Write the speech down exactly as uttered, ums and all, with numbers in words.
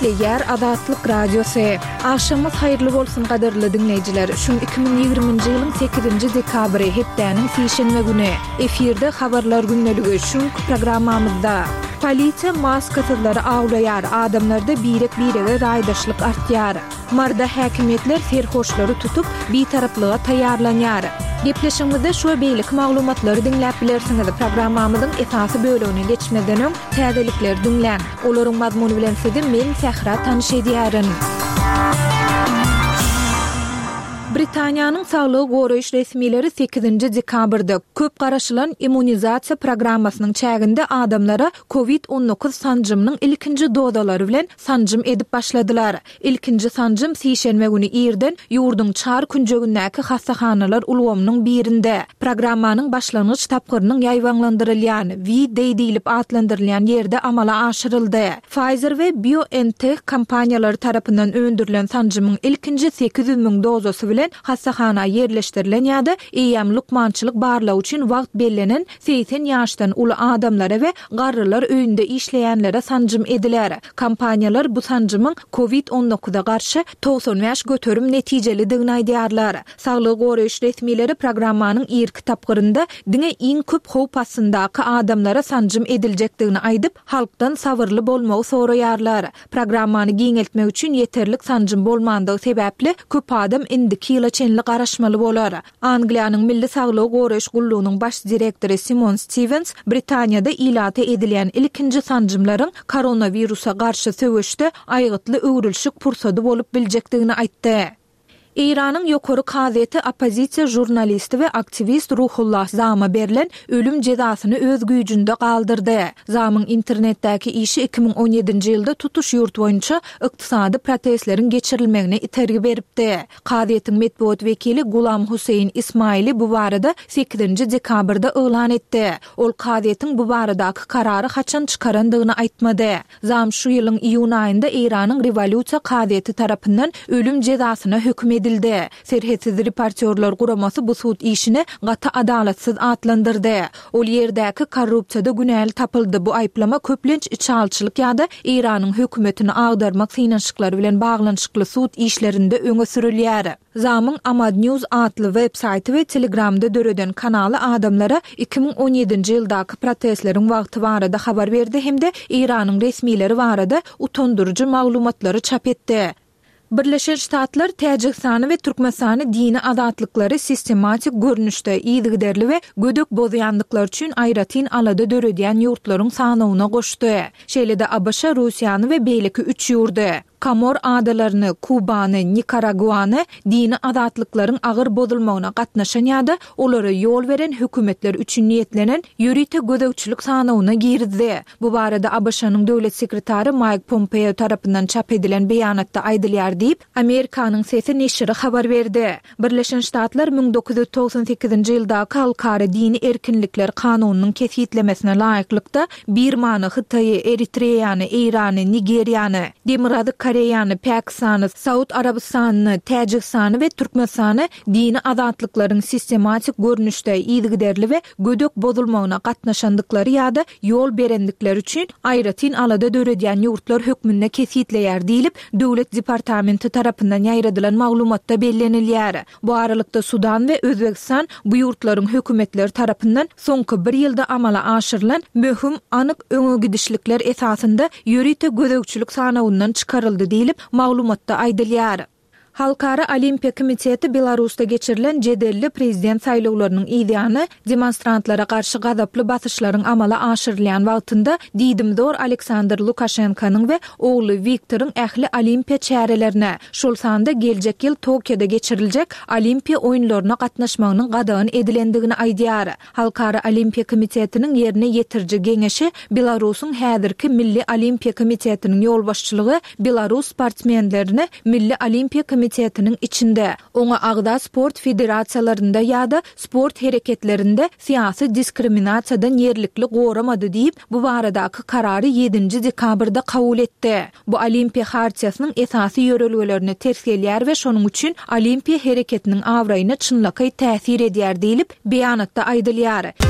Gepleýär Azatlyk Radiosy. Agşamyňyz haýyrly bolsun gadyrly diňleýjiler. Şu iki müň ýigriminji ýylyň sekizinji dekabry, hepdäniň sişenbe güni. Efirde habarlar gündeligi, şu günki programmamyzda. Polisiýa maskasyzlary awlaýar, adamlarda birek-birege raýdaşlyk artýar. Maryda häkimiýetler serhoşlary tutup, bitaraplyga taýýarlanýar. Gepleşigimizde şu we beýleki maglumatlary diňläp bilersiňiz. Programmamyzyň esasy bölegine geçmezden öň, täzelikleri diňläň. Olaryň mazmuny bilen sizi men, Sähra tanyş edýärin. Britaniýanyň saglygy goraýyş resmileri sekizinji dekabrda köp garaşylan immunizasiýa programmasynyň çäginde adamlara covid on dokuz sanjymynyň ilkinji dozalary bilen sanjym edip başladylar. Ilkinji sanjym sişenbe güni irden ýurduň çar künjegindäki hassahanalar ulgamynyň birinde, programmanyň başlangyç tapgyrynyň ýaýbaňlandyrylýan, V-Day diýlip atlandyrylýan ýerde amala aşyryldy. Pfizer we BioNTech kompaniýalary tarapyndan öndürilen sanjymyň ilkinji sekiz ýüz müň dozasy bilen hassahana ýerleşdirilen ýa-da eýýäm lukmançylyk barlagy üçin wagt bellenen segsen ýaşdan uly adamlara we garrylar öýünde işleýänlere sanjym ediler. Kompaniýalar bu sanjymyň covid on dokuza garşy togsan bäş göterim netijelidigini aýdýarlar. Saglygy goraýyş resmileri programmanyň irki tapgyrynda diňe iň köp howp astyndaky adamlara sanjym ediljekdigini aýdyp, halkdan sabyrly bolmagy soraýarlar. Programmany giňeltmek üçin ýeterlik sanjym bolmandygy sebäpli köp adam indiki ýyla çenli garaşmaly bolar. Angliýanyň Milli Saglygy Goraýyş Gullugynyň baş direktory Simon Stevens Britaniýada ilata edilýän ilkinji sanjymlaryň koronawirusa garşy söweşde aýgytly öwrülişik pursady bolup biljekdigini aýtdy. Eýranyň ýokary kazyýeti oppozisiýa žurnalisti we aktiwist Ruhullah Zama berlen ölüm jezasyny öz güýjünde galdyrdy. Zamyň internetdäki işi iki müň on ýedinji ýylda tutuş ýurt boýunça ykdysady protestleriň geçirilmegine itergi beripdi. Kazyýetiň metbugat wekili Gulam Huseýin Ismaili bu barada sekizinji dekabrda yglan etdi. Ol kazyýetiň bu baradaky karary haçan çykarandygyny aýtmady. Zam şu ýylyň iýun aýynda Eýranyň rewolýusiýa kazyýeti tarapyndan ölüm jezasyna höküm edildi. Serhetsiz reportýorlar guramasy bu sud işini gaty adalatsyz atlandyrdy. Ol ýerdäki korrupsiýada günäli tapyldy. Bu aýyplama köplenç içalçylyk ýa-da Eýranyň hökümetini agdarmak synanyşyklary bilen baglanyşykly sud işlerinde öňe sürülýär. Zamyň Amad News atly web saýty we Telegramda döreden kanaly adamlara iki müň on ýedinji ýyldaky protestleriň wagty barada habar berdi hem-de Eýranyň resmileri barada utandyryjy maglumatlary çap etdi. Birleşen Ştatlar Täjigistany we Türkmenistany dini azatlyklary sistematik görnüşde yzygiderli we gödek bozýandyklary üçin aýratyn alada döredýän ýurtlaryň sanawyna goşdy. Şeýle-de A B Ş Russiýany we beýleki üç ýurdy, Komor adalaryny, Kubany, Nikaraguany dini azatlyklaryň agyr bozulmagyna gatnaşan ýa-da olara ýol beren hökümetler üçin niýetlenen ýörite gözegçilik sanawyna girizdi. Bu barada A B Ş-nyň döwlet sekretary Mike Pompeo tarapyndan çap edilen beýanatda aýdylýar diýip, Amerikanyň sesi neşiri habar berdi. Birleşen Ştatlar müň dokuz ýüz togsan sekizinji ýyldaky Halkara dini erkinlikler kanunynyň kesgitlemesine laýyklykda Birmany, Hytaýy, Eritreýany, Eýrany, Nigeriýany, Demirgazyk Koreýany, Pakistany, Saud Arabystanyny, Täjigistany we Türkmenistany dini azatlyklaryň sistematik görnüşde yzygiderli we gödek bozulmagyna gatnaşandyklary ýa-da ýol berendikleri üçin aýratyn alada döredýän ýurtlar hökmünde kesgitleýär diýlip, Döwlet departamenti tarapyndan ýaýradylan maglumatda bellenilýär. Bu aralykda Sudan we Özbegistan bu ýurtlaryň hökümetleri tarapyndan soňky bir ýylda amala aşyrylan möhüm anyk öňe gidişlikler esasynda ýörite gözegçilik sanawyndan çykaryldy diýlip, maglumatda aýdylýar. Halkara Olimpiýa komiteti Belarusda geçirilen jedelli prezident saýlawlarynyň ýany demonstrantlara garşy gazaply basyşlaryň amala aşyrylýan wagtynda diýdimzor Aleksandr Lukaşenkonyň we ogly Wiktoryň ähli olimpiýa çärelerine, şol sanda geljek ýyl Tokioda geçiriljek olimpiýa oýunlaryna gatnaşmagynyň gadagan edilendigini aýdýar. Halkara Olimpiýa komitetiniň ýerine ýetiriji geňeşi Belarusyň häzirki Milli Olimpiýa komitetiniň ýolbaşçylygy Belarus sportsmenlerini Milli Olimpiýa komitetiniň içinde, oňa agza sport federasiýalarynda ýa-da sport hereketlerinde syýasy diskriminasiýadan ýerlikli goramady diýip, bu baradaky karary ýedinji dekabrda kabul etdi. Bu Olimpiýa hartiýasynyň esasy ýörelgelerine ters gelýär we şonuň üçin Olimpiýa hereketiniň abraýyna çynlakaý täsir edýär diýlip, beýanatda aýdylýar.